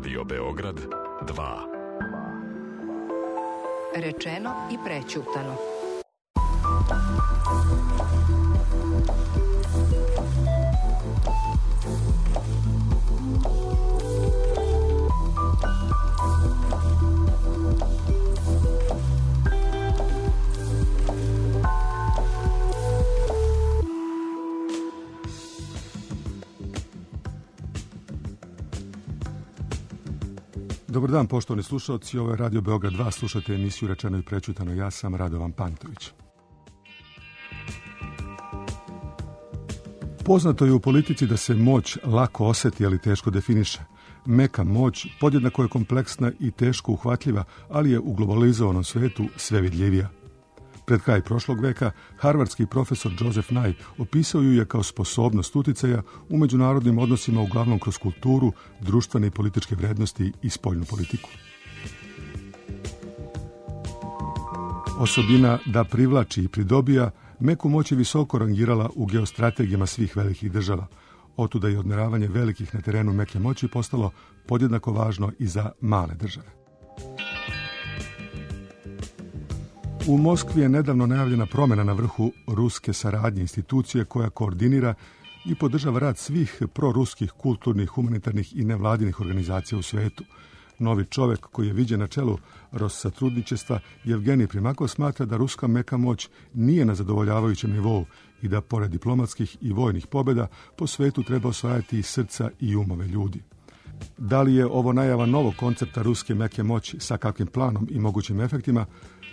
Radio Beograd 2. Rečeno i prećutano. Dobar dan, poštovani slušalci, ovo je Radio Beograd 2, slušate emisiju Rečeno i prećutano, ja sam Radovan Pantović. Poznato je u politici da se moć lako oseti, ali teško definiše. Meka moć podjednako je kompleksna i teško uhvatljiva, ali je u globalizovanom svetu sve vidljivija. Pred kraj prošlog veka, harvardski profesor Joseph Nye opisao ju je kao sposobnost uticaja u međunarodnim odnosima uglavnom kroz kulturu, društvene i političke vrednosti i spoljnu politiku. Osobina da privlači i pridobija, meku moć je visoko rangirala u geostrategijama svih velikih država. Otuda je odmeravanje velikih na terenu meke moći postalo podjednako važno i za male države. U Moskvi je nedavno najavljena promjena na vrhu ruske saradnje, institucije koja koordinira i podržava rad svih proruskih, kulturnih, humanitarnih i nevladinih organizacija u svetu. Novi čovjek koji je viđen na čelu Rosatrudničestva, Jevgenij Primakov, smatra da ruska meka moć nije na zadovoljavajućem nivou i da pored diplomatskih i vojnih pobjeda po svetu treba osvajati i srca i umove ljudi. Da li je ovo najava novog koncepta ruske meke moći, sa kakvim planom i mogućim efektima,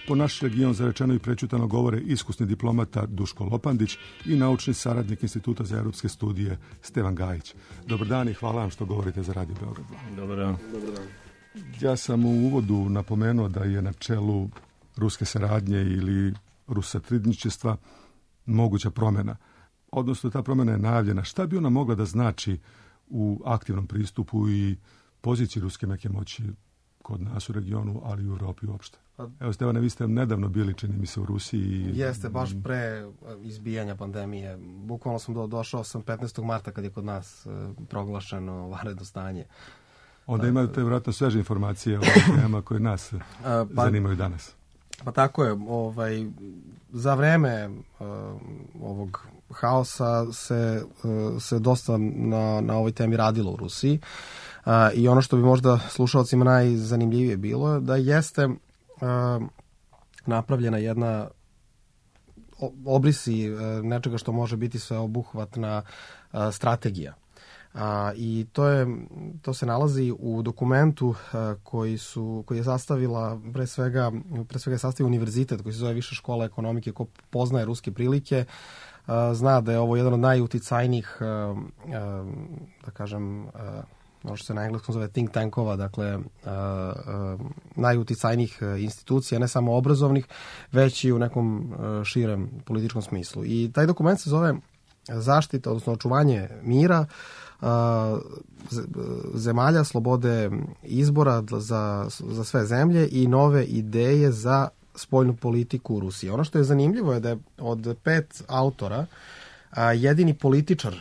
po naš region za Rečeno i prećutano govore iskusni diplomata Duško Lopandić i naučni saradnik Instituta za europske studije Stevan Gajić. Dobar dan i hvala vam što govorite za Radio Beograd 2. Dobar dan. Ja sam u uvodu napomenuo da je na čelu ruske saradnje ili Rosatrudničestva moguća promjena. Odnosno, ta promjena je najavljena. Šta bi ona mogla da znači u aktivnom pristupu i poziciji ruske meke moći kod nas u regionu, ali i u Europi uopšte? Evo, Stevane, vi ste nedavno bili, čini mi se, u Rusiji. Jeste, baš pre izbijanja pandemije. Bukvalno sam došao sam 15. marta kad je kod nas proglašeno vanredno stanje. Onda imaju te vjerojatno sveže informacije o temama koje nas zanimaju danas. Pa tako je. Za vreme ovog haosa se dosta na ovoj temi radilo u Rusiji. I ono što bi možda slušalcima najzanimljivije bilo je da jeste napravljena jedna obrisi nečega što može biti sveobuhvatna strategija. I to se nalazi u dokumentu koji je sastavila pre svega je sastavio univerzitet koji se zove Viša škola ekonomike. Ko poznaje ruske prilike zna da je ovo jedan od najuticajnijih, da kažem, ono što se na engleskom zove think tankova, dakle najuticajnijih institucija, ne samo obrazovnih, već i u nekom širem političkom smislu. I taj dokument se zove zaštita, odnosno očuvanje mira, zemalja, slobode izbora za sve zemlje i nove ideje za spoljnu politiku u Rusiji. Ono što je zanimljivo je da je od 5 autora jedini političar.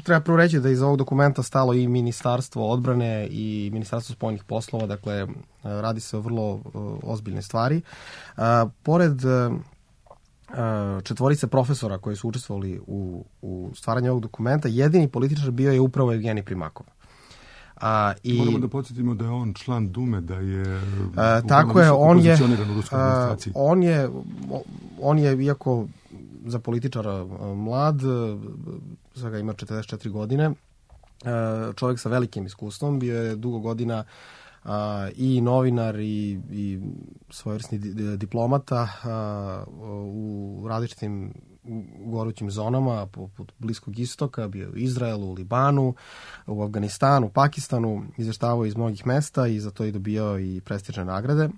Treba prvo reći da iz ovog dokumenta stalo i Ministarstvo odbrane i Ministarstvo spoljnih poslova, dakle radi se o vrlo ozbiljne stvari. Pored četvorice profesora koji su učestvovali u stvaranju ovog dokumenta, jedini političar bio je upravo Jevgenij Primakov. Moramo da podsjetimo da je on član Dume, da je tako je, pozicioniran u ruskoj administraciji. On je, iako za političara mlad, svega ima 44 godine, čovjek sa velikim iskustvom, bio je dugo godina i novinar i svojevrsni diplomata u različitim gorućim zonama poput Bliskog istoka, bio u Izraelu, u Libanu, u Afganistanu, Pakistanu, izvještavao iz mnogih mesta i za to je dobio i prestižne nagrade.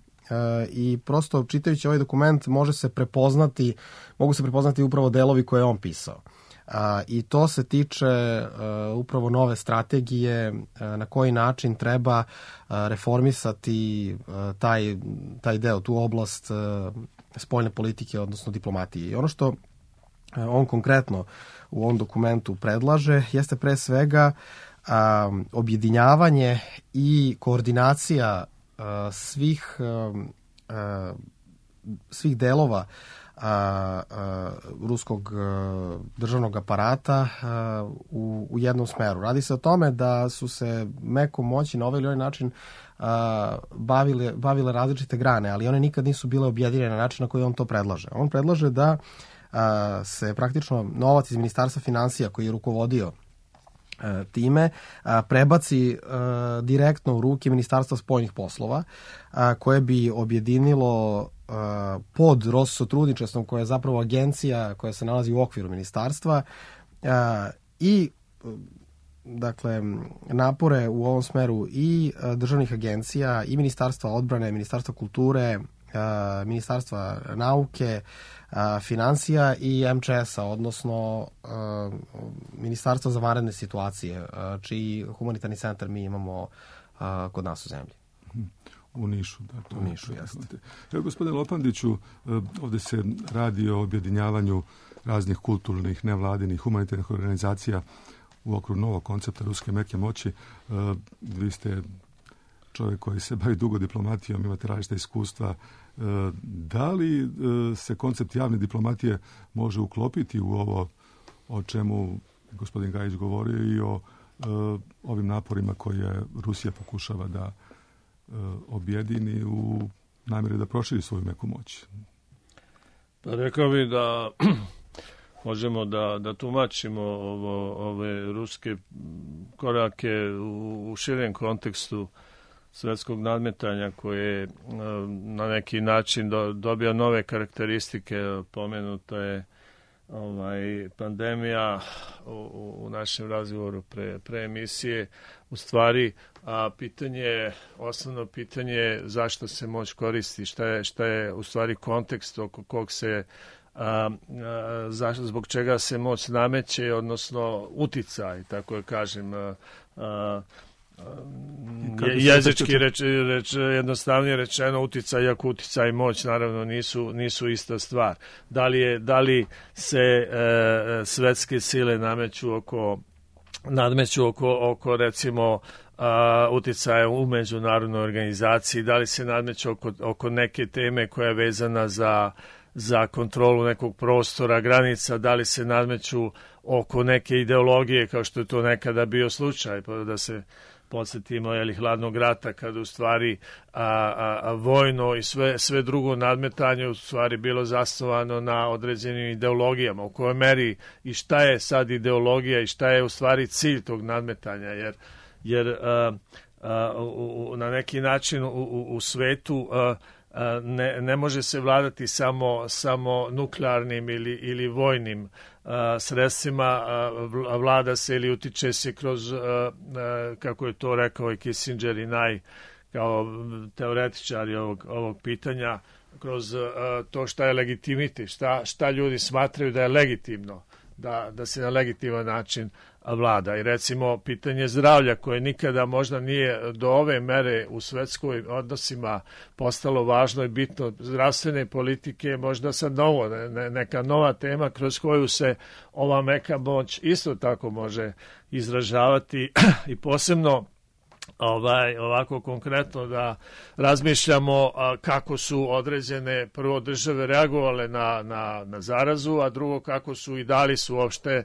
I prosto čitajući ovaj dokument mogu se prepoznati upravo delovi koje je on pisao. I to se tiče upravo nove strategije, na koji način treba reformisati taj deo, tu oblast spoljne politike, odnosno diplomatije. I ono što on konkretno u ovom dokumentu predlaže jeste pre svega objedinjavanje i koordinacija svih delova ruskog državnog aparata u jednom smeru. Radi se o tome da su se mekom moći na ovaj ili onaj način bavile različite grane, ali one nikad nisu bile objedinjene na način na koji on to predlaže. On predlaže da se praktično novac iz Ministarstva finansija koji je rukovodio time prebaci direktno u ruke Ministarstva spoljnih poslova, koje bi objedinilo pod Rosotrudničestvom, koja je zapravo agencija koja se nalazi u okviru ministarstva, i dakle napore u ovom smeru i državnih agencija i Ministarstva odbrane, Ministarstva kulture, Ministarstva nauke, finansija i MČS-a, odnosno Ministarstva za vanredne situacije, čiji humanitarni centar mi imamo kod nas u zemlji. U Nišu. Da, to u Nišu, jeste. Evo, gospodine Lopandiću, ovde se radi o objedinjavanju raznih kulturnih, nevladinih, humanitarnih organizacija u okviru novog koncepta ruske meke moći. Vi ste čovjek koji se bavi dugo diplomatijom, imate različita iskustva. Da li se koncept javne diplomatije može uklopiti u ovo o čemu gospodin Gajić govorio i o ovim naporima koje Rusija pokušava da objedini u namjeri da proširi svoju meku moć? Pa rekao bih da možemo da tumačimo ove ruske korake u širem kontekstu svetskog nadmetanja koje na neki način dobija nove karakteristike. Pomenuta je pandemija u našem razgovoru pre emisije. U stvari, osnovno pitanje je zašto se moć koristi, šta je u stvari kontekst oko kog se zbog čega se moć nameće, odnosno uticaj, tako je kažem, jezički jednostavnije rečeno uticaj, iako uticaj i moć naravno nisu ista stvar. Da li se svetske sile nadmeću oko recimo uticaja u međunarodnoj organizaciji, da li se nadmeću oko neke teme koja je vezana za kontrolu nekog prostora, granica, da li se nadmeću oko neke ideologije, kao što je to nekada bio slučaj, pa da se podsjetimo hladnog rata, kada u stvari vojno i sve drugo nadmetanje u stvari bilo zasnovano na određenim ideologijama. U kojoj meri i šta je sad ideologija i šta je u stvari cilj tog nadmetanja, jer na neki način u svetu ne može se vladati samo nuklearnim ili vojnim sredstvima, vlada se ili utiče se kroz, kako je to rekao i Kissinger i kao teoretičari ovog pitanja, kroz to šta je legitimitet, šta ljudi smatraju da je legitimno, da se na legitiman način vlada. I recimo pitanje zdravlja koje nikada možda nije do ove mere u svetskoj odnosima postalo važno i bitno, zdravstvene politike možda sad neka nova tema kroz koju se ova meka moć isto tako može izražavati i posebno ovako konkretno da razmišljamo kako su određene prvo države reagovale na zarazu, a drugo kako su i da li su uopšte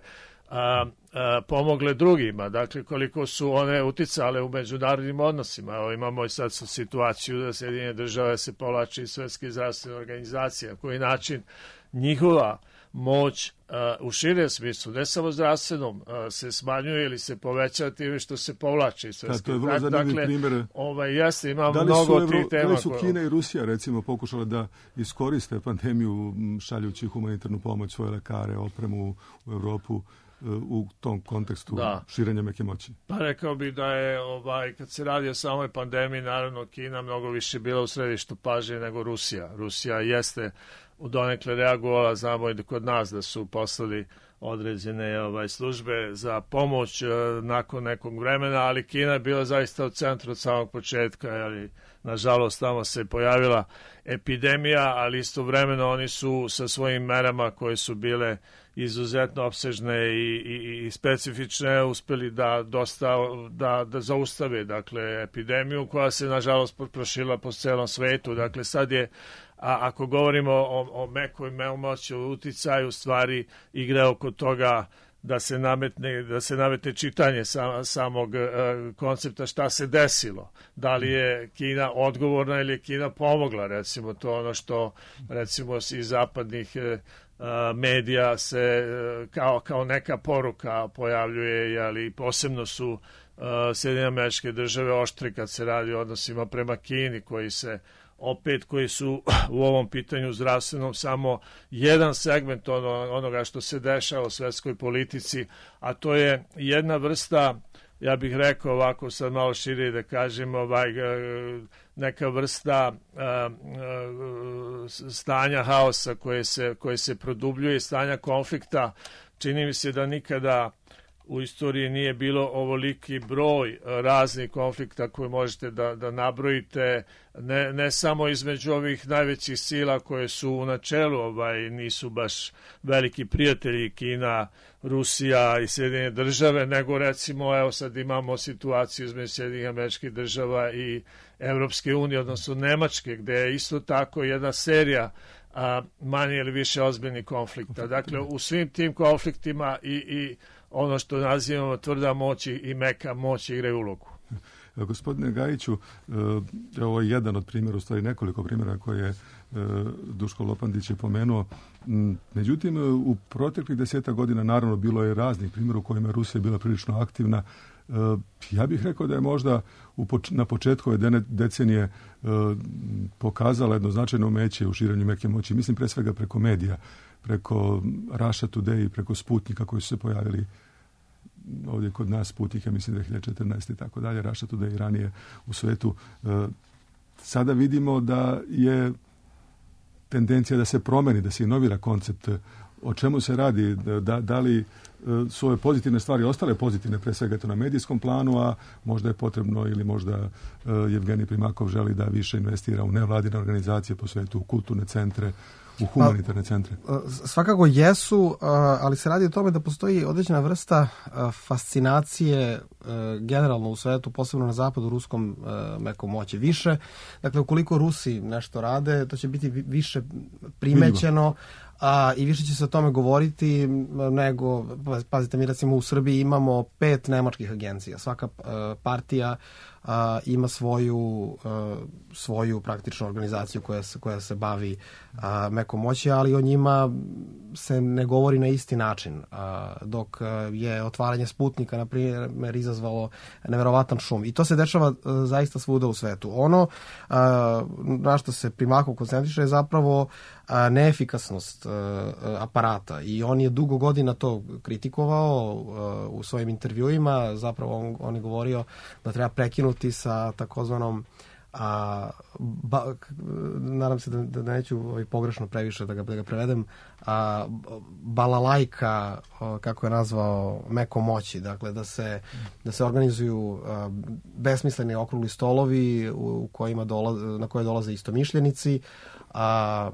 pomogle drugima, dakle koliko su one uticale u međunarodnim odnosima. Evo imamo i sad situaciju da Sjedinjene države se povlači iz Svetske zdravstvene organizacije, na koji način njihova moć u širem smislu, ne samo zdravstvenom, se smanjuje ili se povećava time što se povlači iz Svetske. To je vrlo zanimljiv primjer. Jeste, ima mnogo tih tema. Da li su Kina i Rusija recimo pokušale da iskoriste pandemiju šaljući humanitarnu pomoć, svoje lekare, opremu u Evropu u tom kontekstu širenja meke moći? Pa rekao bih da je, kad se radi o samoj pandemiji, naravno Kina mnogo više bila u središtu pažnje nego Rusija. Rusija jeste donekle reagovala. Znamo i da kod nas da su poslali određene službe za pomoć nakon nekog vremena, ali Kina je bila zaista u centru od samog početka, ali nažalost tamo se pojavila epidemija, ali istovremeno oni su sa svojim merama koje su bile izuzetno opsežne i specifične uspeli da zaustave epidemiju koja se nažalost proširila po celom svetu. Dakle, sad je, ako govorimo o mekoj moći, o uticaju, stvari igre oko toga da se nametne čitanje samog koncepta šta se desilo. Da li je Kina odgovorna ili je Kina pomogla, recimo to ono što recimo iz zapadnih medija se kao neka poruka pojavljuje, ali posebno su Sjedinjene Američke Države oštre kad se radi o odnosima prema Kini, koji su u ovom pitanju zdravstvenom samo jedan segment onoga što se dešava u svetskoj politici, a to je jedna vrsta, ja bih rekao ovako sad malo šire da kažem, neka vrsta stanja haosa koje se produbljuje, stanja konflikta. Čini mi se da nikada u istoriji nije bilo ovoliki broj raznih konflikta koje možete da nabrojite, ne samo između ovih najvećih sila koje su u načelu nisu baš veliki prijatelji, Kina, Rusija i Sjedinjene Države, nego recimo evo sad imamo situaciju između Sjedinjenih Američkih Država i Evropske unije, odnosno Nemačke, gde je isto tako jedna serija manje ili više ozbiljnih konflikta. Dakle, u svim tim konfliktima i ono što nazivamo tvrda moć i meka moć igraju ulogu. Gospodine Gajiću, ovo je jedan od primjera, u stvari nekoliko primjera koje je Duško Lopandić je pomenuo. Međutim, u proteklih 10 godina naravno bilo je raznih primjera u kojima Rusija bila prilično aktivna. Ja bih rekao da je možda na početku ove decenije pokazala jedno značajno umeće u širenju meke moći. Mislim pre svega preko medija, preko Russia Today, preko Sputnika koji su se pojavili ovdje kod nas, Sputnika, mislim 2014. i tako dalje, Russia Today i ranije u svetu. Sada vidimo da je tendencija da se promeni, da se inovira koncept. O čemu se radi? Da li su ove pozitivne stvari ostale pozitivne, pre svega to na medijskom planu, a možda je potrebno ili možda Jevgenij Primakov želi da više investira u nevladine organizacije po svetu, u kulturne centre, u humanitarne centre? Svakako jesu, ali se radi o tome da postoji određena vrsta fascinacije generalno u svetu, posebno na zapadu, ruskom mekom moći više. Dakle, ukoliko Rusi nešto rade, to će biti više primećeno, i više će se o tome govoriti nego, pazite, mi recimo u Srbiji imamo 5 nemačkih agencija. Svaka partija ima svoju praktičnu organizaciju koja se bavi mekom moći, ali o njima se ne govori na isti način. Dok je otvaranje Sputnika, na primjer, izazvalo neverovatan šum. I to se dešava zaista svuda u svetu. Ono na što se Primakov koncentriše je zapravo neefikasnost aparata. I on je dugo godina to kritikovao u svojim intervjuima. Zapravo on je govorio da treba prekinuti sa takozvanom nadam se da neću pogrešno previše da ga prevedem, balalajka, kako je nazvao, meko moći. Dakle, da se organizuju besmisleni okrugli stolovi na koje dolaze istomišljenici,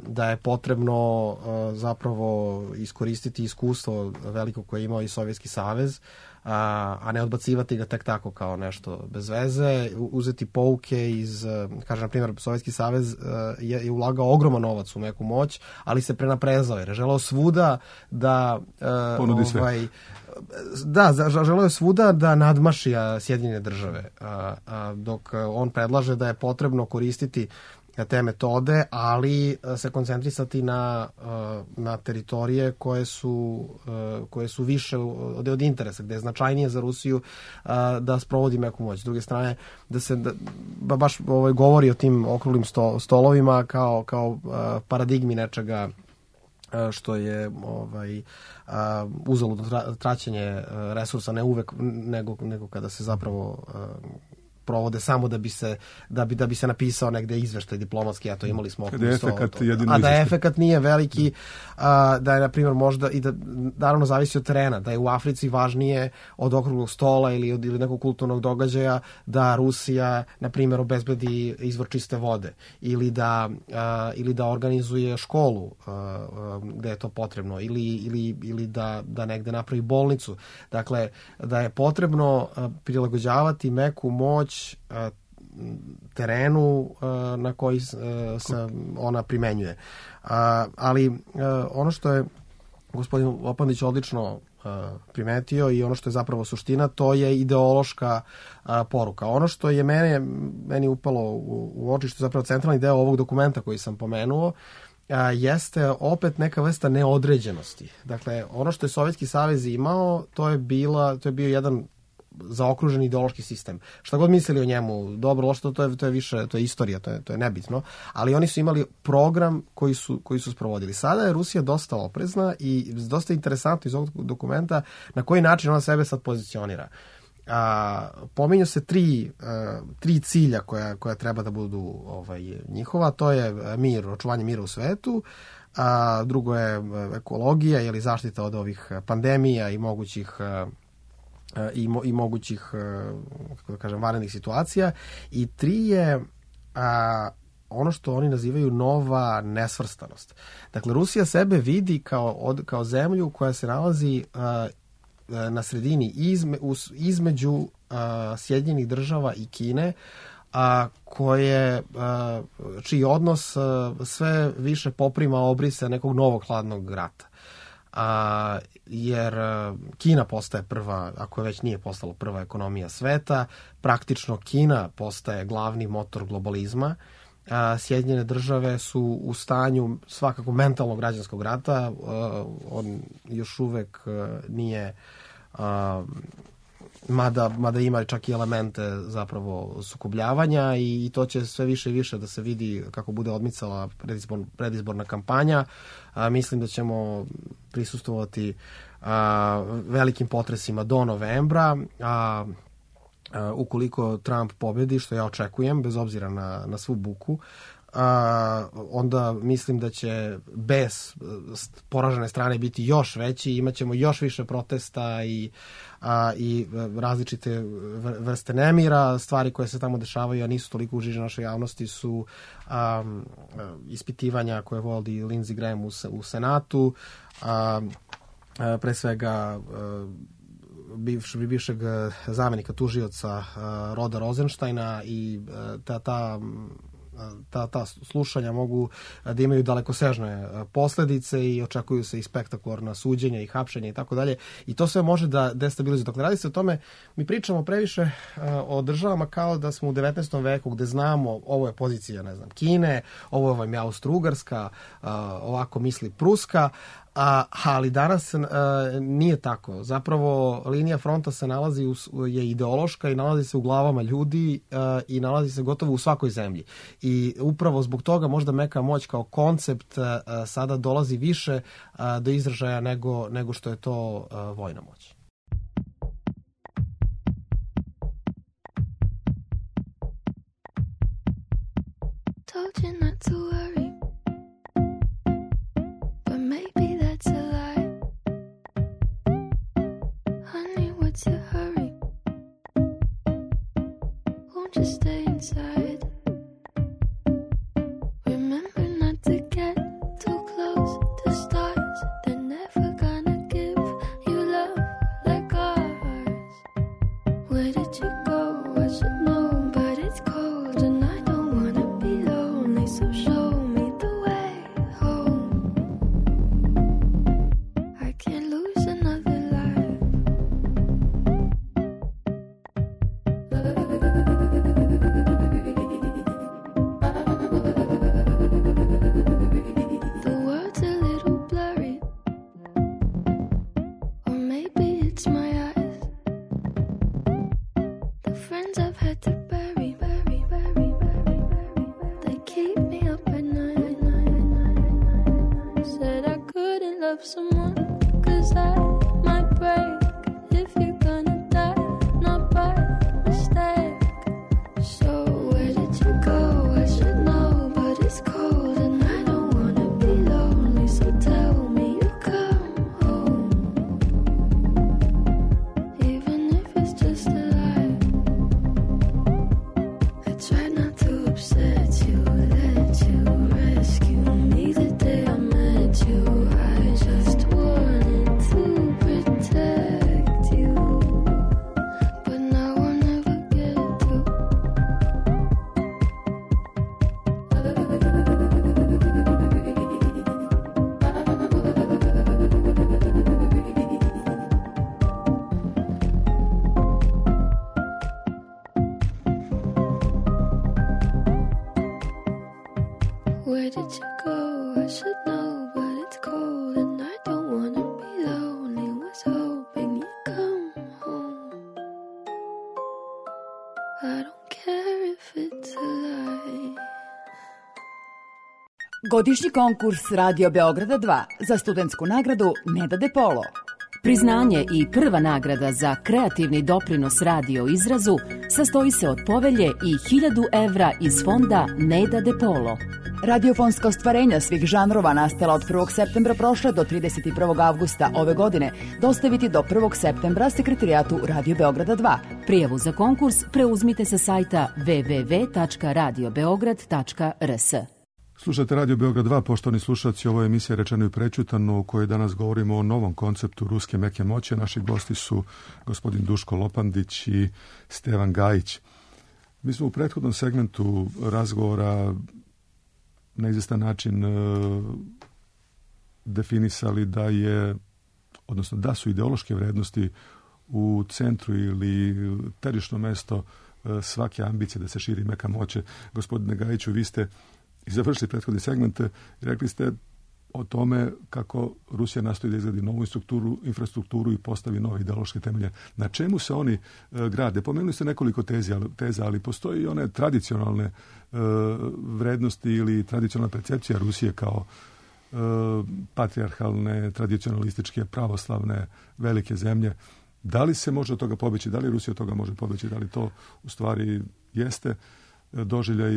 da je potrebno zapravo iskoristiti iskustvo veliko koje je imao i Sovjetski savez, a ne odbacivati ga tek tako kao nešto bez veze, uzeti pouke iz, kažem, na primjer, Sovjetski savez je ulagao ogroman novac u meku moć, ali se prenaprezao jer je želeo svuda da ponudi sve. Želeo je svuda da nadmaši Sjedinjene Države, dok on predlaže da je potrebno koristiti te metode, ali se koncentrisati na teritorije koje su više od interesa, gde je značajnije za Rusiju da sprovodi meku moć. S druge strane, baš govori o tim okruglim stolovima kao paradigmi nečega što je uzaludno traćenje resursa, ne uvek, nego kada se zapravo provode samo da bi se napisao negde izveštaj diplomatski, a to imali smo oko 100. A da efekat nije veliki, da je, na primjer, možda, i da naravno zavisi od terena, da je u Africi važnije od okruglog stola ili nekog kulturnog događaja da Rusija, na primjer, obezbedi izvor čiste vode ili da organizuje školu gde je to potrebno ili da negde napravi bolnicu. Dakle, da je potrebno prilagođavati meku moć terenu na koji se ona primenjuje. Ali ono što je gospodin Lopandić odlično primetio i ono što je zapravo suština, to je ideološka poruka. Ono što je meni upalo u oči, što je zapravo centralni deo ovog dokumenta koji sam pomenuo, jeste opet neka vrsta neodređenosti. Dakle, ono što je Sovjetski savez imao, to je bio jedan zaokružen ideološki sistem. Šta god mislili o njemu, dobro, loše, to je više, to je istorija, to je nebitno, ali oni su imali program koji su sprovodili. Sada je Rusija dosta oprezna i dosta interesantno iz ovog dokumenta na koji način ona sebe sad pozicionira. Pominju se tri cilja koja treba da budu njihova, to je mir, očuvanje mira u svetu, drugo je ekologija ili zaštita od ovih pandemija i mogućih kako da kažem, vanrednih situacija, i tri je ono što oni nazivaju nova nesvrstanost. Dakle, Rusija sebe vidi kao zemlju koja se nalazi na sredini između Sjedinjenih država i Kine, čiji odnos sve više poprima obrise nekog novog hladnog rata. Jer Kina postaje prva, ako već nije postala prva ekonomija sveta, praktično Kina postaje glavni motor globalizma. Sjedinjene države su u stanju svakako mentalnog građanskog rata, on još uvek nije, mada ima čak i elemente zapravo sukobljavanja, i to će sve više i više da se vidi kako bude odmicala predizborna kampanja. Mislim da ćemo prisustvovati velikim potresima do novembra, ukoliko Trump pobedi, što ja očekujem, bez obzira na svu buku, onda mislim da će bes poražene strane biti još veći, imaćemo još više protesta i različite vrste nemira. Stvari koje se tamo dešavaju, a nisu toliko u žiži našoj javnosti, su ispitivanja koje vodi Lindsey Graham u Senatu, pre svega bivšeg zamenika tužioca Roda Rosensteina, i ta slušanja mogu da imaju dalekosežne posledice i očekuju se i spektakularna suđenja i hapšenja i tako dalje, i to sve može da destabilizuje. Dakle, radi se o tome, mi pričamo previše o državama kao da smo u 19. veku, gde znamo ovo je pozicija, ne znam, Kine, ovo je Austro-Ugarska, ovako misli Pruska, ali danas nije tako. Zapravo linija fronta se je ideološka i nalazi se u glavama ljudi i nalazi se gotovo u svakoj zemlji. I upravo zbog toga možda meka moć kao koncept sada dolazi više do izražaja nego što je to vojna moć. Told you not to worry, but maybe that's a lie. Honey, what's your hurry? Won't you stay inside? Remember not to get too close to stars. They're never gonna give you love like ours. Where did you go? I should know, but it's cold and I don't wanna be lonely, so show me the way home. I can't lose another life. The world's a little blurry, or maybe it's my eyes. The friends I've had to bury, they keep me up at night. Said I couldn't love someone, 'cause I might break. If you're gonna die, not by mistake. Where did you go? I should know, but it's cold and I don't wanna be lonely. Was hoping you'd come home. I don't care if it's a lie. Godišnji konkurs Radio Beograda 2 za studentsku nagradu Neda De Polo. Priznanje i prva nagrada za kreativni doprinos radio izrazu sastoji se od povelje i 1000 evra iz fonda Neda De Polo. Radiofonska ostvarenja svih žanrova nastala od 1. septembra prošle do 31. avgusta ove godine dostaviti do 1. septembra Sekretarijatu Radio Beograda 2. Prijavu za konkurs preuzmite sa sajta www.radiobeograd.rs. Slušajte Radio Beograd 2, poštovani slušalci, ovo je emisija Rečeno i prećutano u kojoj danas govorimo o novom konceptu ruske meke moći. Naši gosti su gospodin Duško Lopandić i Stevan Gajić. Mi smo u prethodnom segmentu razgovora na izvestan način definisali da su ideološke vrednosti u centru ili terično mesto svake ambicije da se širi meka moć. Gospodine Gajiću, vi ste i završili prethodni segment i rekli ste o tome kako Rusija nastoji da izgradi novu infrastrukturu i postavi nove ideološke temelje. Na čemu se oni grade? Pomenuli ste nekoliko teza, ali postoji i one tradicionalne vrednosti ili tradicionalna percepcija Rusije kao patrijarhalne, tradicionalističke, pravoslavne, velike zemlje. Da li se može od toga pobeći? Da li Rusija od toga može pobeći? Da li to u stvari jeste doživljaj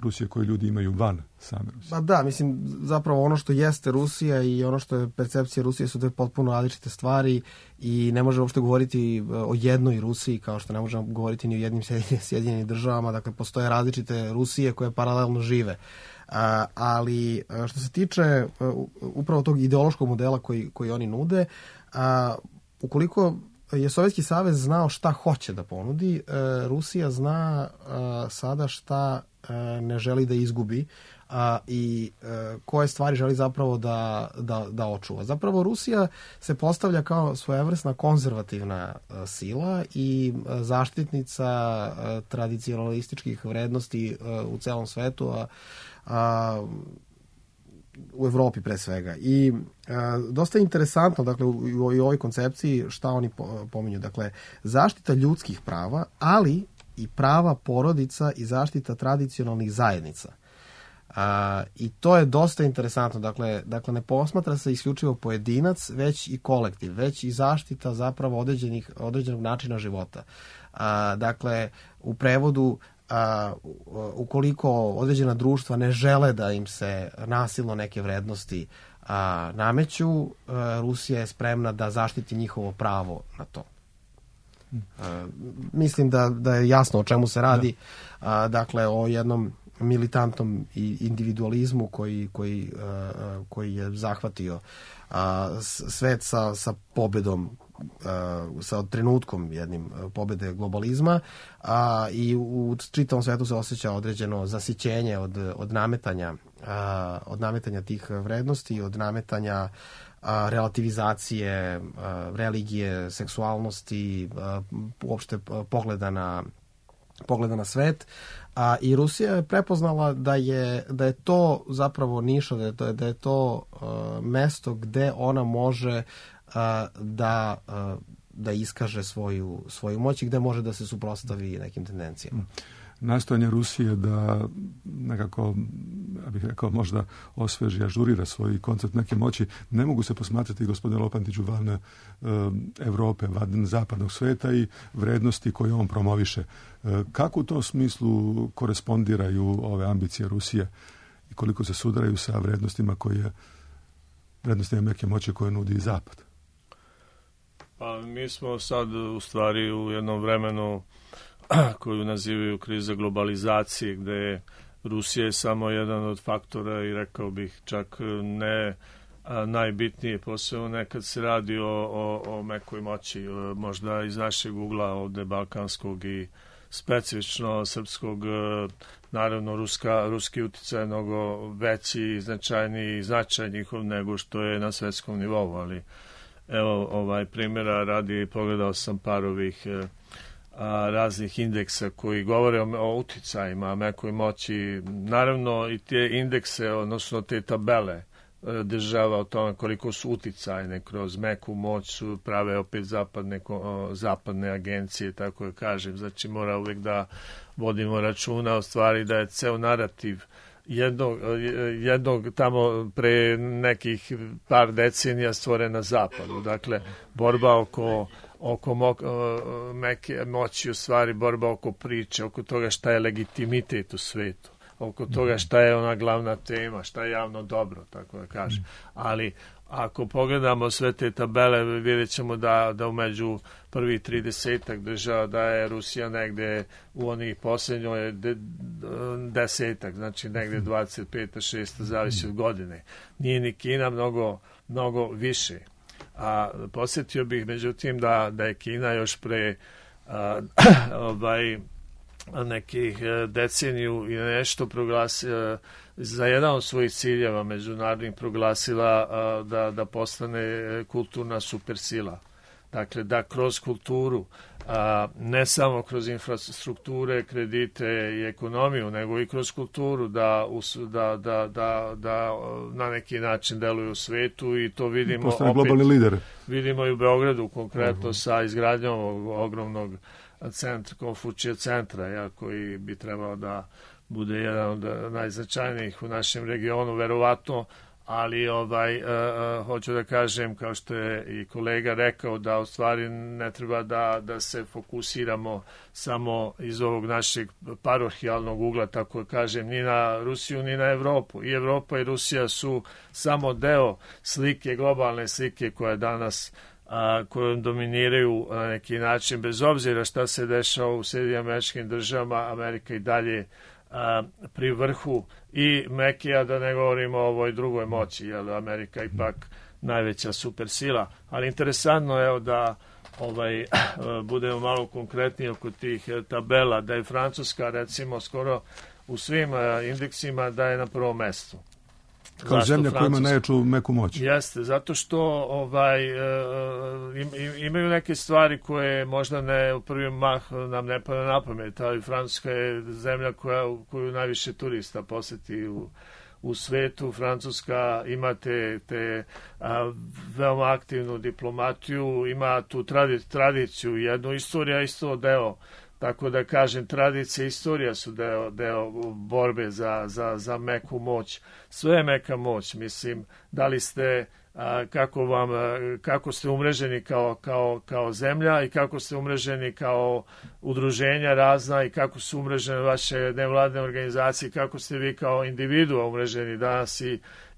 Rusije koje ljudi imaju van same Rusije? Pa da, mislim, zapravo ono što jeste Rusija i ono što je percepcija Rusije su dve potpuno različite stvari i ne možemo uopšte govoriti o jednoj Rusiji kao što ne možemo govoriti ni o jednim Sjedinjenim državama. Dakle, postoje različite Rusije koje paralelno žive. Ali što se tiče upravo tog ideološkog modela koji oni nude, ukoliko je Sovjetski savez znao šta hoće da ponudi, Rusija zna sada šta ne želi da izgubi i koje stvari želi zapravo da očuva. Zapravo Rusija se postavlja kao svojevrsna konzervativna sila i zaštitnica tradicionalističkih vrednosti u celom svetu, u Evropi pre svega. I dosta je interesantno, dakle, u ovoj koncepciji šta oni pominju. Dakle, zaštita ljudskih prava, ali i prava porodica i zaštita tradicionalnih zajednica. I to je dosta interesantno. Dakle, ne posmatra se isključivo pojedinac, već i kolektiv, već i zaštita zapravo određenog načina života. Dakle, u prevodu, ukoliko određena društva ne žele da im se nasilno neke vrednosti nameću, Rusija je spremna da zaštiti njihovo pravo na to. Mislim da je jasno o čemu se radi. Dakle, o jednom militantnom individualizmu koji je zahvatio svet sa pobedom, sa trenutkom jednim pobede globalizma, i u čitavom svetu se osjeća određeno zasićenje od nametanja tih vrednosti, od nametanja relativizacije religije, seksualnosti, uopšte pogleda na svet. I Rusija je prepoznala da je to zapravo niša, da je to mesto gde ona može da iskaže svoju moć i gde može da se suprotstavi nekim tendencijama. Nastojanje Rusije da nekako, ja bih rekao, možda osveži, ažurira svoj koncept neke moći, ne mogu se posmatrati, gospodine Lopandiću, van Evrope, van zapadnog sveta i vrednosti koje on promoviše. Kako u tom smislu korespondiraju ove ambicije Rusije i koliko se sudaraju sa vrednostima neke moći koje nudi Zapad? Pa mi smo sad u stvari u jednom vremenu koju nazivaju kriza globalizacije, gde je Rusija samo jedan od faktora i rekao bih čak ne najbitnije, posebno nekad se radi o mekoj moći, možda iz našeg ugla ovde balkanskog i specifično srpskog. Naravno, ruski uticaj je mnogo veći, značajniji značaj njihov nego što je na svetskom nivou, ali evo primjera radi, pogledao sam par ovih raznih indeksa koji govore o uticajima, mekoj moći. Naravno i te indekse, odnosno te tabele država o tome koliko su uticajne kroz meku moć su prave opet zapadne agencije, tako da kažem. Znači mora uvijek da vodimo računa o stvari da je ceo narativ jednog tamo pre nekih par decenija stvoren na zapadu. Dakle, borba oko meke moći, u stvari borba oko priče, oko toga šta je legitimitet u svetu, oko toga šta je ona glavna tema, šta je javno dobro, tako da kažem. Ali ako pogledamo sve te tabele, vidjet ćemo da umeđu prvih 30 država da je Rusija negde u onih posljednjoj desetak, znači negde 25. 6. zavisi od godine. Nije ni Kina mnogo više. A posjetio bih međutim da je Kina još pre nekih deceniju i nešto proglasila za jedan od svojih ciljeva međunarodnih proglasila da postane kulturna supersila. Dakle, da kroz kulturu, ne samo kroz infrastrukture, kredite i ekonomiju, nego i kroz kulturu da na neki način deluju u svetu i to vidimo postane globalni lider. Vidimo i u Beogradu konkretno sa izgradnjom ovog ogromnog Konfučija centra, koji bi trebao da bude jedan od najznačajnijih u našem regionu, verovatno, ali hoću da kažem, kao što je i kolega rekao, da u stvari ne treba da se fokusiramo samo iz ovog našeg parohijalnog ugla, tako da kažem, ni na Rusiju, ni na Evropu. I Evropa i Rusija su samo deo slike, globalne slike koja danas kojom dominiraju na neki način, bez obzira šta se dešava u Sjedinjenim Američkim Državama, Amerika i dalje pri vrhu i Mekija, da ne govorimo o ovoj drugoj moći, jer Amerika ipak najveća supersila. Ali interesantno je da budemo malo konkretniji oko tih tabela, da je Francuska recimo skoro u svim indeksima da je na prvom mestu. Kao zemlja koja ima najjaču meku moć. Jeste, zato što imaju neke stvari koje možda ne u prvi mah nam ne pada na pamet, ali Francuska je zemlja koju najviše turista poseti u svetu. Francuska ima te veoma aktivnu diplomatiju, ima tu tradiciju, jednu istorija isto deo. Tako da kažem, tradicija i istorija su deo borbe za meku moć. Sve je meka moć, mislim, da li ste, kako ste umreženi kao zemlja i kako ste umreženi kao udruženja razna i kako su umrežene vaše nevladne organizacije, kako ste vi kao individua umreženi danas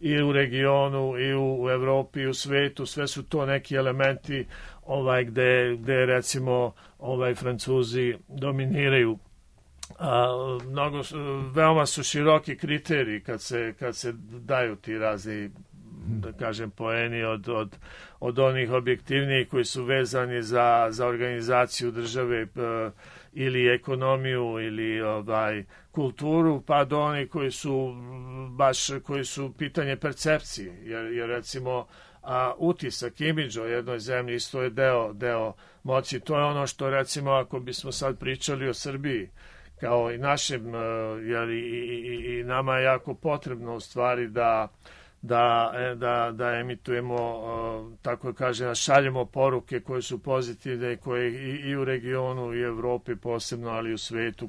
i u regionu, i u Evropi, i u svetu. Sve su to neki elementi gde recimo Francuzi dominiraju. Veoma su široki kriteriji kad se daju ti razni, da kažem, poeni od onih objektivnijih koji su vezani za organizaciju države ili ekonomiju ili kulturu, pa do onih koji su pitanje percepcije, jer recimo utisak, imidž o jednoj zemlji isto je deo moći. To je ono što recimo ako bismo sad pričali o Srbiji kao i našem, jer i nama je jako potrebno u stvari da emitujemo, tako kažem, da šaljemo poruke koje su pozitivne, koje i u regionu i u Evropi posebno, ali i u svetu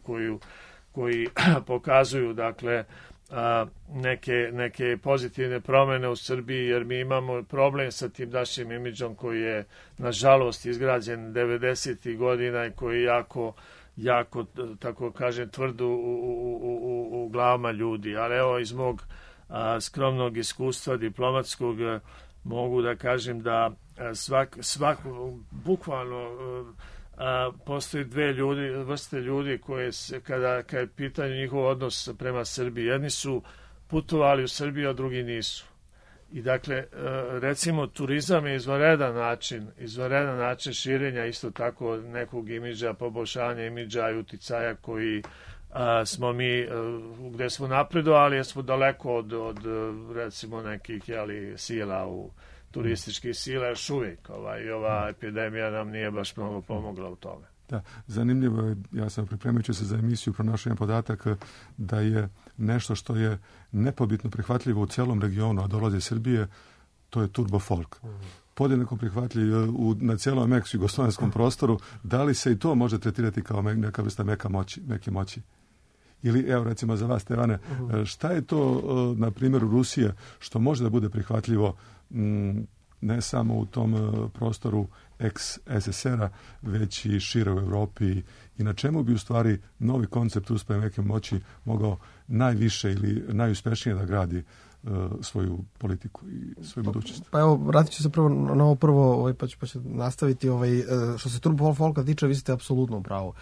koji pokazuju, dakle, neke pozitivne promene u Srbiji, jer mi imamo problem sa tim našim imidžom koji je nažalost izgrađen 90. godina i koji je jako, tako kažem, tvrdo u glavama ljudi. Ali evo, iz mog skromnog iskustva diplomatskog mogu da kažem da bukvalno postoji dve vrste ljudi koje kada je pitanje njihov odnos prema Srbiji, jedni su putovali u Srbiju, a drugi nisu. I dakle, recimo, turizam je izvanredan način širenja isto tako nekog imidža, poboljšanja imidža i uticaja koji smo mi, gde smo napredovali, jer smo daleko od recimo nekih sila turističkih sila još uvijek. I ova epidemija nam nije baš mnogo pomogla u tome. Da, zanimljivo je, ja sam pripremajući se za emisiju pronašao jedan podatak da je nešto što je nepobitno prihvatljivo u celom regionu, a dolazi iz Srbije, to je turbo folk. Podjednako prihvatljiv na cijelom ex-jugoslovenskom prostoru. Da li se i to može tretirati kao neka vrsta meke moći? Ili, evo recimo za vas, Stevane, šta je to na primjeru Rusije što može da bude prihvatljivo ne samo u tom prostoru ex-SSR-a, već i šire u Europi, i na čemu bi u stvari novi koncept uspoje meke moći mogao najviše ili najuspešnije da gradi svoju politiku i svoju budućnost? Pa evo, vratit ću se prvo na ovo prvo, pa ću nastaviti. Što se turbo folka tiče, vi ste apsolutno u pravu.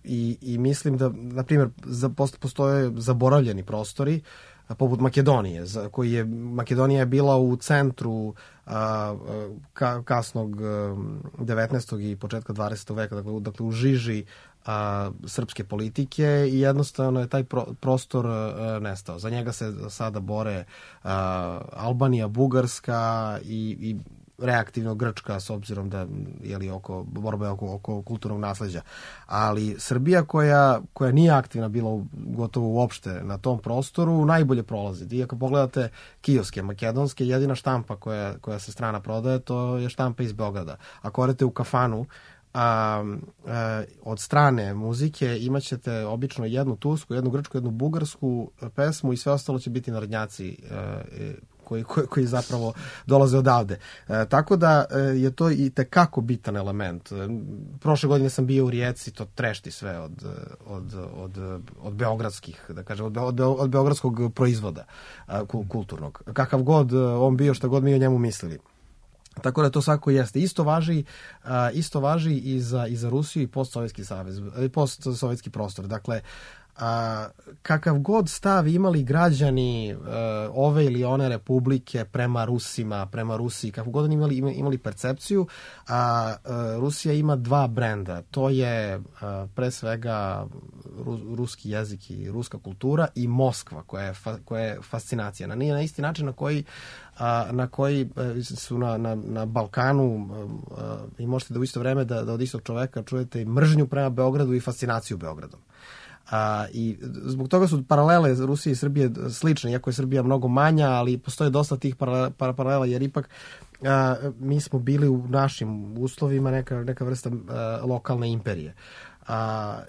I mislim da, na primjer, postoje zaboravljeni prostori, poput Makedonije, Makedonija je bila u centru kasnog 19. i početka 20. veka, dakle u žiži srpske politike, i jednostavno je taj prostor nestao. Za njega se sada bore Albanija, Bugarska i reaktivno Grčka, s obzirom da je borbe oko kulturnog nasleđa. Ali Srbija, koja nije aktivna bila gotovo uopšte na tom prostoru, najbolje prolazi. I ako pogledate kioske makedonske, jedina štampa koja se strana prodaje, to je štampa iz Beograda. Ako odete u kafanu, od strane muzike imat ćete obično jednu tursku, jednu grčku, jednu bugarsku pesmu, i sve ostalo će biti narodnjaci koji zapravo dolaze odavde. Tako da je to i tekako bitan element. Prošle godine sam bio u Rijeci, to trešti sve od beogradskih, da kažem, od beogradskog proizvoda kulturnog. Kakav god on bio, šta god mi o njemu mislili. Tako da to svako jeste. Isto važi i za Rusiju i postsovjetski savez, i postsovjetski prostor. Dakle, kakav god stav imali građani ove ili one republike prema Rusima, prema Rusiji, kako god imali percepciju, Rusija ima dva brenda. To je pre svega ruski jezik i ruska kultura, i Moskva, koja je fascinacija. Nije na isti način na koji su na Balkanu, i možete da u isto vreme da od istog čoveka čujete mržnju prema Beogradu i fascinaciju Beogradom. I zbog toga su paralele Rusije i Srbije slične, iako je Srbija mnogo manja, ali postoje dosta tih paralela, jer ipak mi smo bili u našim uslovima neka vrsta lokalne imperije.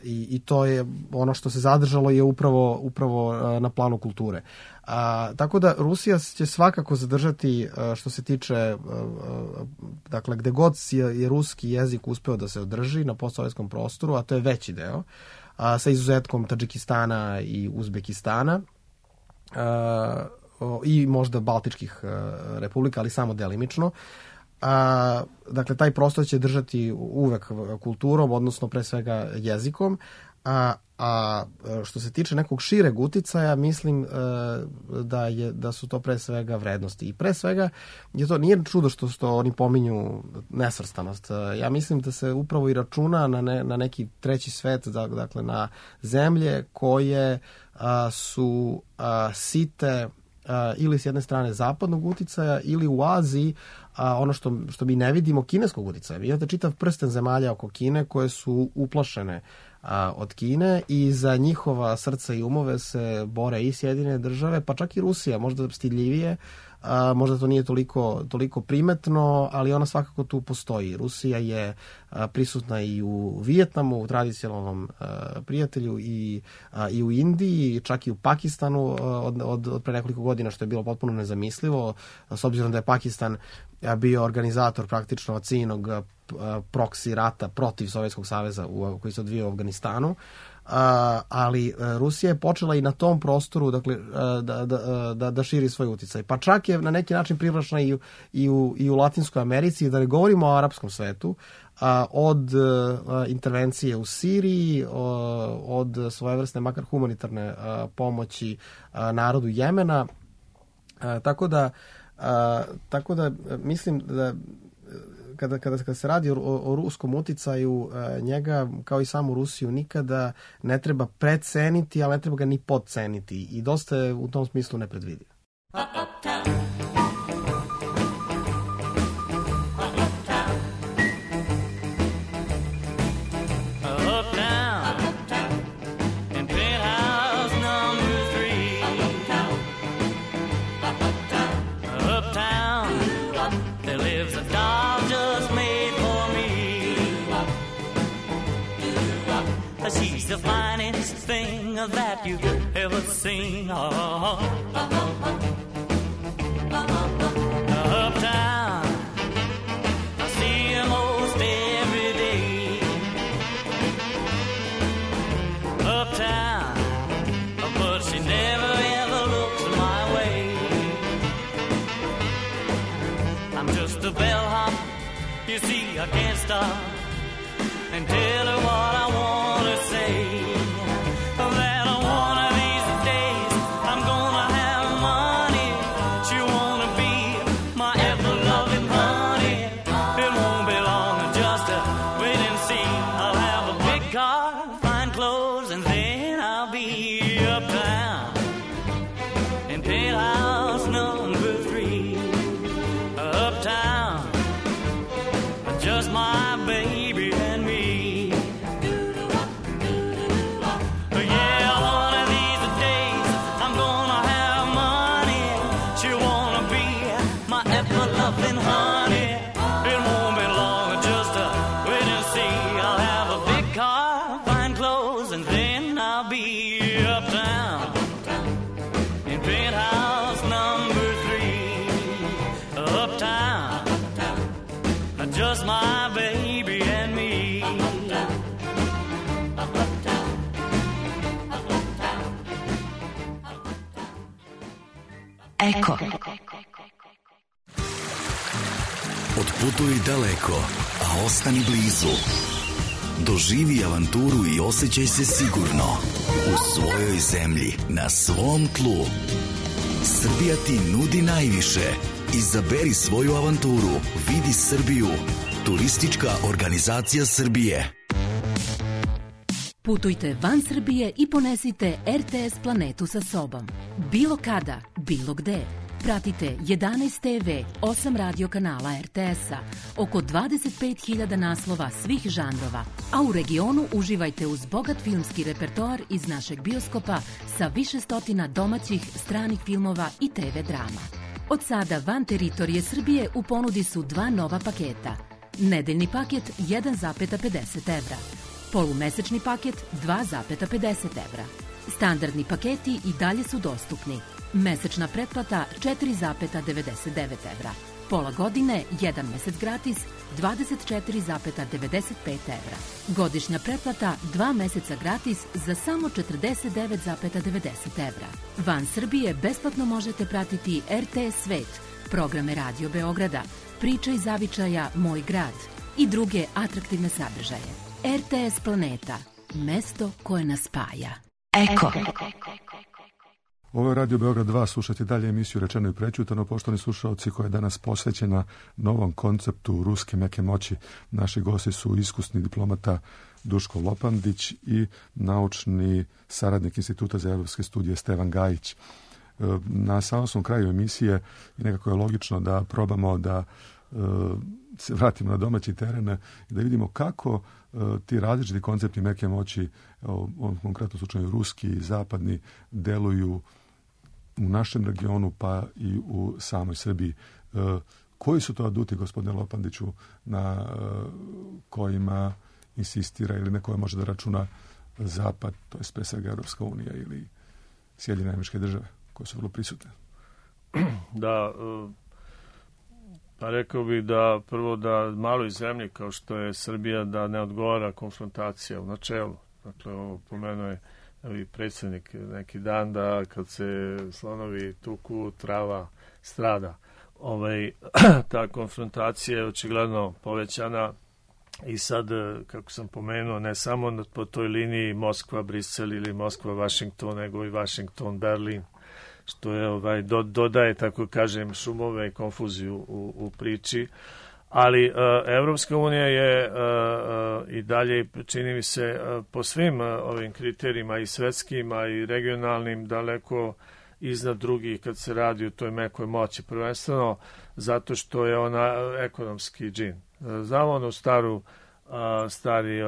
I to je ono što se zadržalo, je upravo na planu kulture. Tako da Rusija će svakako zadržati, što se tiče, dakle, gde god je ruski jezik uspeo da se održi na postsovjetskom prostoru, a to je veći deo, sa izuzetkom Tadžikistana i Uzbekistana i možda Baltičkih republika, ali samo delimično. Dakle, taj prostor će držati uvek kulturom, odnosno pre svega jezikom, a što se tiče nekog šireg uticaja, mislim da su to pre svega vrednosti. I pre svega nije čudo što oni pominju nesvrstanost. Ja mislim da se upravo i računa na neki treći svet, dakle na zemlje koje su site ili s jedne strane zapadnog uticaja, ili u Aziji ono što mi ne vidimo, kineskog uticaja. Imate čitav prsten zemalja oko Kine koje su uplašene od Kine, i za njihova srca i umove se bore i Sjedinjene države, pa čak i Rusija, možda stidljivije, možda to nije toliko primetno, ali ona svakako tu postoji. Rusija je prisutna i u Vijetnamu, u tradicionalnom prijatelju, i u Indiji, čak i u Pakistanu od pre nekoliko godina, što je bilo potpuno nezamislivo, s obzirom da je Pakistan bio organizator praktično ciljnog proksi rata protiv Sovjetskog saveza koji se odvijao u Afganistanu. Ali Rusija je počela i na tom prostoru, dakle, da širi svoj uticaj. Pa čak je na neki način privlačna i u Latinskoj Americi, da ne govorimo o arapskom svetu, od intervencije u Siriji, od svojevrsne makar humanitarne pomoći narodu Jemena. Tako da mislim da kada se radi o ruskom uticaju, njega, kao i samu Rusiju, nikada ne treba preceniti, ali ne treba ga ni podceniti. I dosta je u tom smislu nepredvidiv. that you've ever seen. Uptown, I see her most every day. Uptown, but she never ever looks my way. I'm just a bellhop, you see I can't stop and tell her what I want to say. That one of these days I'm gonna have money. She wanna be my ever-loving honey. It won't be long, just wait and see. I'll have a big car, fine clothes, and then I'll be uptown in penthouse number 3. Uptown, just my baby and me. Yeah, one of these days I'm gonna have money. She wanna be my ever-loving honey. It won't be long, just wait and see. I'll have a big car, fine clothes, and then I'll be uptown in penthouse number 3. Uptown, just my baby and me. Eko. Otputuj daleko, a ostani blizu. Doživi avanturu i osjećaj se sigurno u svojoj zemlji, na svom tlu. Srbija ti nudi najviše. Izaberi svoju avanturu. Vidi Srbiju. Turistička organizacija Srbije. Putujte van Srbije i ponesite RTS planetu sa sobom. Bilo kada, bilo gde. Pratite 11 TV, 8 radio kanala RTS-a, oko 25.000 naslova svih žanrova, a u regionu uživajte uz bogat filmski repertoar iz našeg bioskopa sa više stotina domaćih, stranih filmova i TV drama. Od sada van teritorije Srbije u ponudi su 2 nova paketa. Nedeljni paket 1,50 evra. Polumesečni paket 2,50 evra. Standardni paketi i dalje su dostupni. Mesečna pretplata 4,99 evra. Pola godine, 1 mesec gratis, 24,95 evra. Godišnja pretplata 2 meseca gratis za samo 49,90 evra. Van Srbije besplatno možete pratiti RTS Svet, programe Radio Beograda, Priča iz zavičaja Moj grad i druge atraktivne sadržaje. RTS Planeta, mesto koje nas spaja. Eko. Ovo je Radio Beograd 2, slušajte dalje emisiju Rečeno i prećutano. Poštovani slušalci, koja je danas posvećena novom konceptu ruske meke moći. Naši gosti su iskusni diplomata Duško Lopandić i naučni saradnik Instituta za evropske studije Stevan Gajić. Na samom kraju emisije i nekako je logično da probamo da se vratimo na domaći teren i da vidimo kako ti različiti koncepti meke moći, u ovom konkretnom slučaju ruski i zapadni, deluju u našem regionu pa i u samoj Srbiji. Koji su to aduti, gospodine Lopandiću, na kojima insistira ili na koje može da računa Zapad, to je pre svega Evropska unija ili Sjedinjene Američke Države, koje su vrlo prisutne? Da, pa rekao bih da prvo da maloj zemlji kao što je Srbija da ne odgovara konfrontacija u načelu. Dakle, ovo pomenuo je i predsjednik neki dan da kad se slonovi tuku, trava strada. Ta konfrontacija je očigledno povećana i sad, kako sam pomenuo, ne samo po toj liniji Moskva-Brisel ili Moskva-Vašington, nego i Vašington-Berlin, što je dodaje, tako kažem, šumove i konfuziju u priči. Ali Evropska unija je i dalje, čini mi se, po svim ovim kriterijima i svetskim, i regionalnim, daleko iznad drugih kad se radi o toj mekoj moći. Prvenstveno zato što je ona ekonomski džin. Znamo onu stari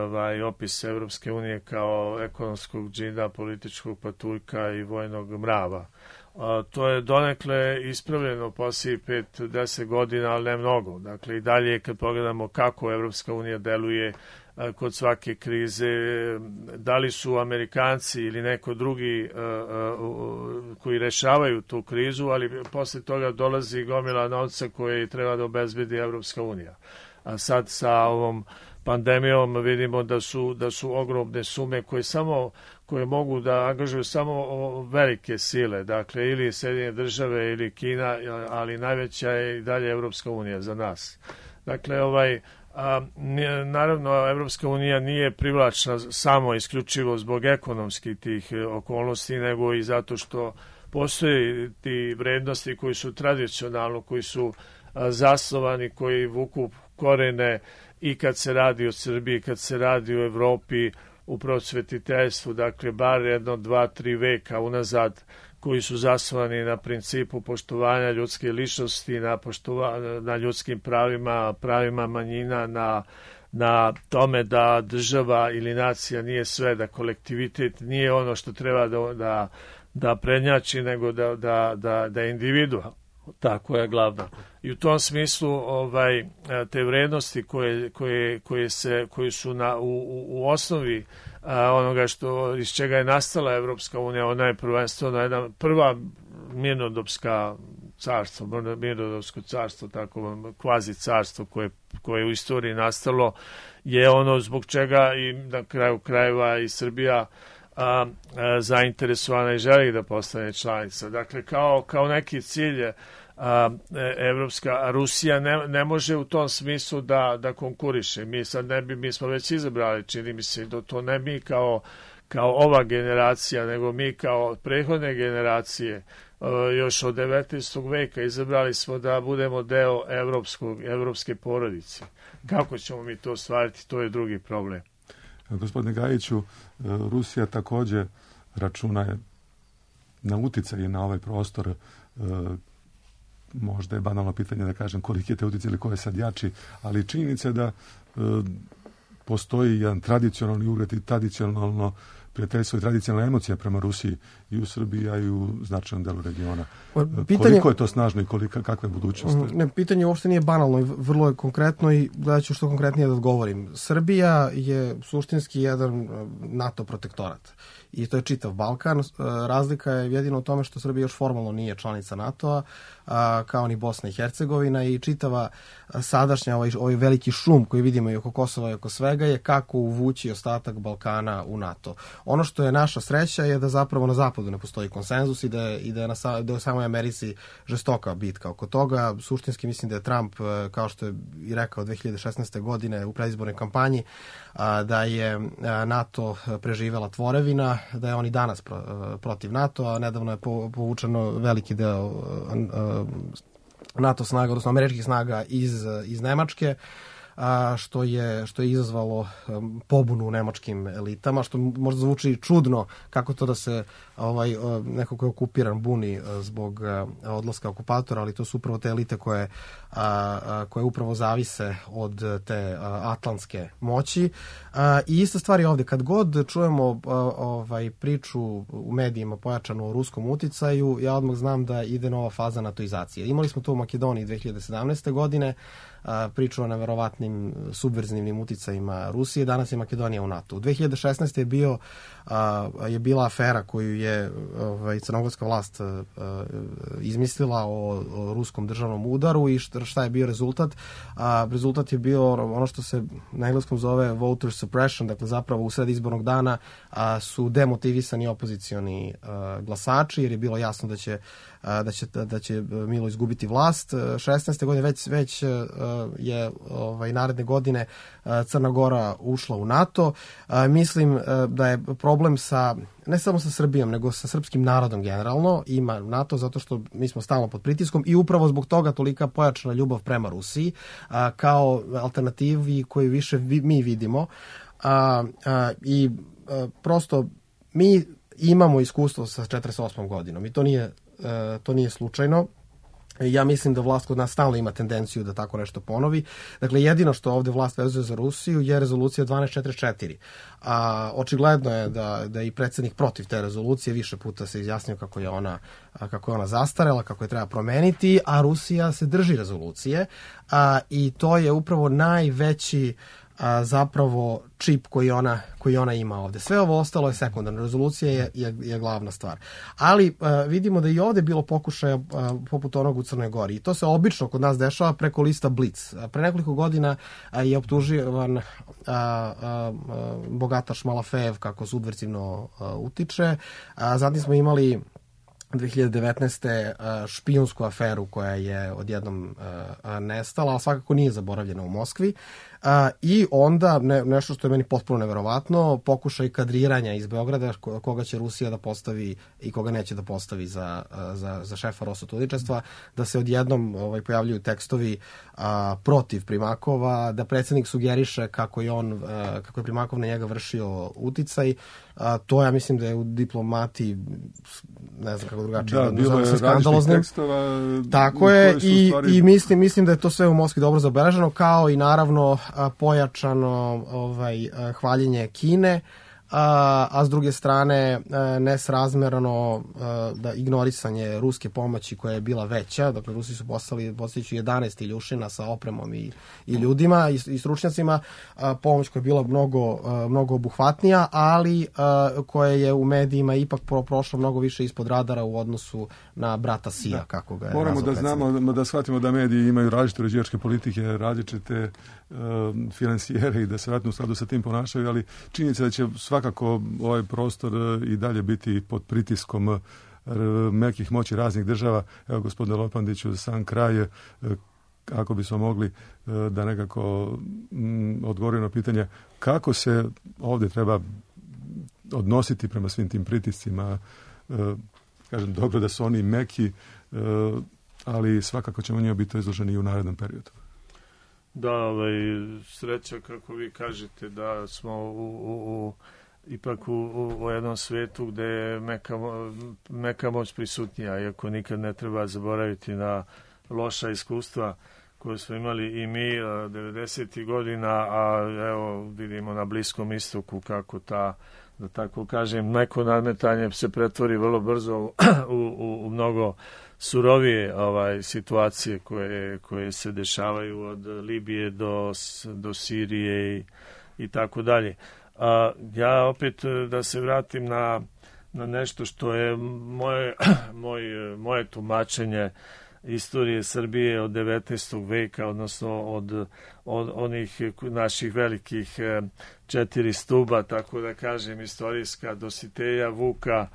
opis Evropske unije kao ekonomskog džina, političkog patuljka i vojnog mrava. To je donekle ispravljeno poslije 5-10 godina, ali ne mnogo. Dakle, i dalje kad pogledamo kako Evropska unija deluje kod svake krize, da li su Amerikanci ili neko drugi koji rešavaju tu krizu, ali posle toga dolazi gomila novca koje treba da obezbedi Evropska unija. A sad sa ovom pandemijom vidimo da su ogromne sume koje mogu da angažuju samo velike sile, dakle ili Sjedinjene države ili Kina, ali najveća je i dalje Evropska unija za nas. Dakle, naravno, Evropska unija nije privlačna samo isključivo zbog ekonomskih tih okolnosti, nego i zato što postoje ti vrednosti koji su tradicionalno, koji su zasnovani, koji vuku korene i kad se radi o Srbiji, kad se radi o Evropi, u prosvetiteljstvu, dakle, bar 1, 2, 3 veka unazad, koji su zasnovani na principu poštovanja ljudske ličnosti, na ljudskim pravima manjina, na tome da država ili nacija nije sve, da kolektivitet nije ono što treba da prednjači, nego da je individua. Tako je glavno. I u tom smislu te vrednosti koje su u osnovi onoga iz čega je nastala Evropska unija, ona je prvenstveno jedna prva mirnodopsko carstvo, tako kvazi carstvo koje je u istoriji nastalo, je ono zbog čega i na kraju krajeva i Srbija zainteresovana i želi da postane članica. Dakle, kao neki cilj Rusija ne može u tom smislu da konkuriše. Mi smo već izabrali, čini mi se, da to ne mi kao ova generacija, nego mi kao prethodne generacije još od 19. veka izabrali smo da budemo deo evropske porodice. Kako ćemo mi to ostvariti, to je drugi problem. Gospodine Gajiću, Rusija takođe računa na uticaj na ovaj prostor. Možda je banalno pitanje da kažem koliki je te uticaj ili ko je sad jači, ali činjenica je da postoji jedan tradicionalni ugled i tradicionalno prijateljstvo i tradicionalna emocija prema Rusiji i u Srbiji, a i u značajnom delu regiona. Koliko je to snažno i kakva je budućnost? Pitanje uopšte nije banalno i vrlo je konkretno i gledat ću što konkretnije da odgovorim. Srbija je suštinski jedan NATO protektorat i to je čitav Balkan. Razlika je jedino u tome što Srbija još formalno nije članica NATO-a, kao ni Bosna i Hercegovina, i čitava sadašnja ovaj veliki šum koji vidimo i oko Kosova i oko svega je kako uvući ostatak Balkana u NATO. Ono što je naša sreća je da zapravo na zapadu ne postoji konsenzus i da je u samoj Americi žestoka bitka oko toga. Suštinski mislim da je Trump, kao što je i rekao 2016. godine u predizbornoj kampanji, da je NATO preživela tvorevina, da je on i danas protiv NATO, a nedavno je povučeno veliki deo NATO snaga, odnosno američkih snaga iz Nemačke, što je izazvalo pobunu u nemačkim elitama, što možda zvuči čudno kako to da se neko ko je okupiran buni zbog odlaska okupatora, ali to su upravo te elite koje upravo zavise od te atlantske moći. I ista stvar je ovde. Kad god čujemo priču u medijima pojačanu o ruskom uticaju, ja odmah znam da ide nova faza natoizacije. Imali smo to u Makedoniji 2017. godine, priču o neverovatnim subverzivnim uticajima Rusije, danas je Makedonija u NATO. U 2016. je bila afera koju je crnogorska vlast izmislila o ruskom državnom udaru i šta je bio rezultat? Rezultat je bio ono što se na engleskom zove voter suppression, dakle zapravo u sred izbornog dana su demotivisani opozicioni glasači, jer je bilo jasno da će Milo izgubiti vlast. 16. godine već je naredne godine Crna Gora ušla u NATO. Mislim da je problem ne samo sa Srbijom, nego sa srpskim narodom generalno ima NATO, zato što mi smo stalno pod pritiskom i upravo zbog toga tolika pojačana ljubav prema Rusiji kao alternativi koju više mi vidimo. I prosto mi imamo iskustvo sa 48. godinom i to nije slučajno. Ja mislim da vlast kod nas stalno ima tendenciju da tako nešto ponovi. Dakle, jedino što ovde vlast vezuje za Rusiju je rezolucija 1244. Očigledno je da je i predsjednik protiv te rezolucije, više puta se izjasnio kako je ona zastarela, kako je treba promeniti, a Rusija se drži rezolucije i to je upravo najveći zapravo čip koji ona ima ovde. Sve ovo ostalo je sekundarno. Rezolucija je glavna stvar. Ali vidimo da i ovde bilo pokušaja poput onog u Crnoj Gori. I to se obično kod nas dešava preko lista Blitz. Pre nekoliko godina je optuživan bogataš Malafejev kako subversivno utiče. Zatim smo imali 2019. špijunsku aferu koja je odjednom nestala, ali svakako nije zaboravljena u Moskvi. I onda, nešto što je meni potpuno neverovatno, pokušaj kadriranja iz Beograda koga će Rusija da postavi i koga neće da postavi za šefa Rosotudičestva, da se odjednom pojavljuju tekstovi protiv Primakova, da predsjednik sugeriše kako je Primakov na njega vršio uticaj. To ja mislim da je u diplomati, ne znam kako drugačije, da bilo je različitih tekstova. Tako je, i mislim da je to sve u Moskvi dobro zabeleženo, kao i naravno pojačano hvaljenje Kine, a s druge strane nesrazmerano da ignorisanje ruske pomoći koja je bila veća. Dakle, Rusi su poslali, podsjeću, 11 iljušina sa opremom i ljudima i stručnjacima, pomoć koja je bila mnogo obuhvatnija, ali koja je u medijima ipak prošla mnogo više ispod radara u odnosu na brata Sija, kako ga je moramo da znamo, da shvatimo da mediji imaju različite uređivačke politike, različite finansijere i da se vratno u skladu sa tim ponašaju, ali činjenica da će svakako ovaj prostor i dalje biti pod pritiskom mekih moći raznih država. Evo, gospodine Lopandiću, za sam kraj, ako bismo mogli da nekako odgovorimo na pitanje kako se ovdje treba odnositi prema svim tim pritiscima. Kažem, dobro da su oni meki, ali svakako ćemo njima biti izloženi i u narednom periodu. Da, sreća, kako vi kažete, da smo ipak u jednom svetu gde je meka moć prisutnija, iako nikad ne treba zaboraviti na loša iskustva koje smo imali i mi 90. godina, a evo vidimo na Bliskom istoku kako da tako kažem, neko nadmetanje se pretvori vrlo brzo u mnogo surovije situacije koje se dešavaju od Libije do Sirije i tako dalje. Ja opet da se vratim na nešto što je moje tumačenje istorije Srbije od 19. veka, odnosno od onih naših velikih 4 stuba, tako da kažem, istorijska, Dositeja, Vuka,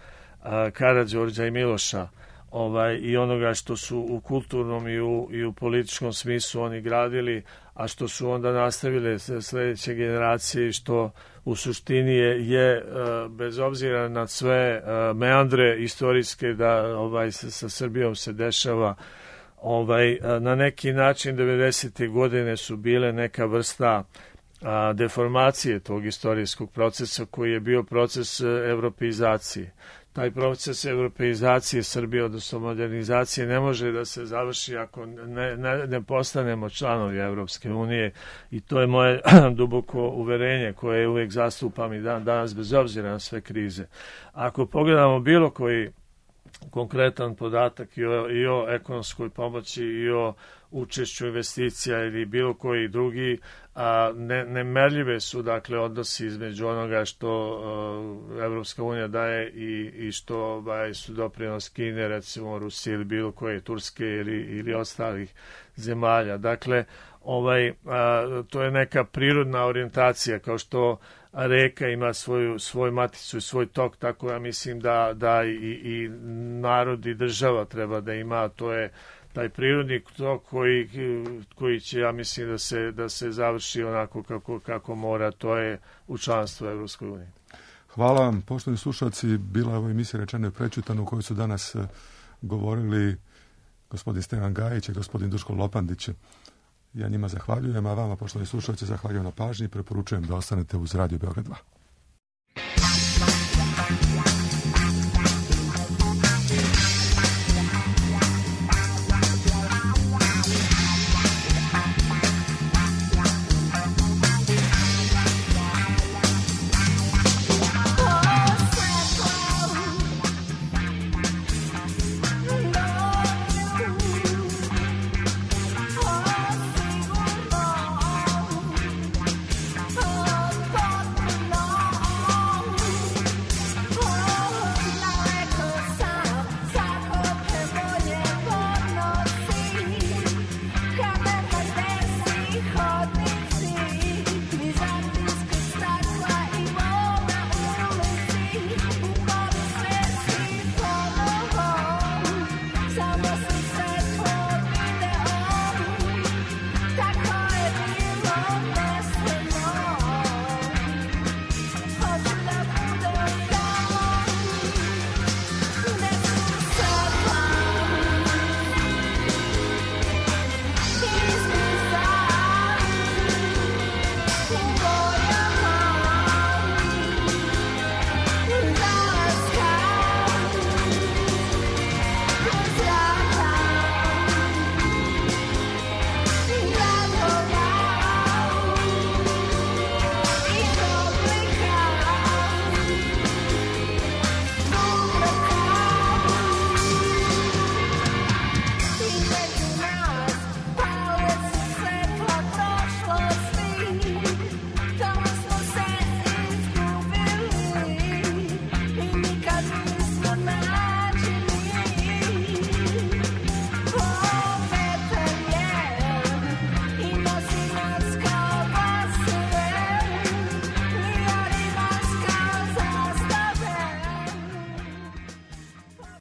Karađorđa i Miloša, i onoga što su u kulturnom i u političkom smislu oni gradili, a što su onda nastavile sledeće generacije, što u suštini je bez obzira na sve meandre istorijske da sa Srbijom se dešava, na neki način 90. godine su bile neka vrsta deformacije tog istorijskog procesa koji je bio proces evropeizacije. Taj proces evropeizacije Srbije, odnosno modernizacije, ne može da se završi ako ne postanemo članovi Evropske unije, i to je moje duboko uverenje koje uvijek zastupam i danas bez obzira na sve krize. Ako pogledamo bilo koji konkretan podatak i o ekonomskoj pomoći i o učešću investicija ili bilo koji drugi, nemerljive su dakle odnosi između onoga što Evropska unija daje i što su doprinos Kine, recimo Rusije ili bilo koje, Turske ili ostalih zemalja. Dakle, to je neka prirodna orijentacija, kao što reka ima svoju maticu i svoj tok, tako ja mislim da i narod i država treba da ima, to je taj prirodni tok koji će, ja mislim, da se završi onako kako mora, to je u članstvu Evropskoj uniji. Hvala vam, poštovani slušalci. Bila je ovo emisija Rečeno i prećutano u kojoj su danas govorili gospodin Stevan Gajić i gospodin Duško Lopandić. Ja njima zahvaljujem, a vama, poštovani slušalci, zahvaljujem na pažnji i preporučujem da ostanete uz Radio Beograd 2.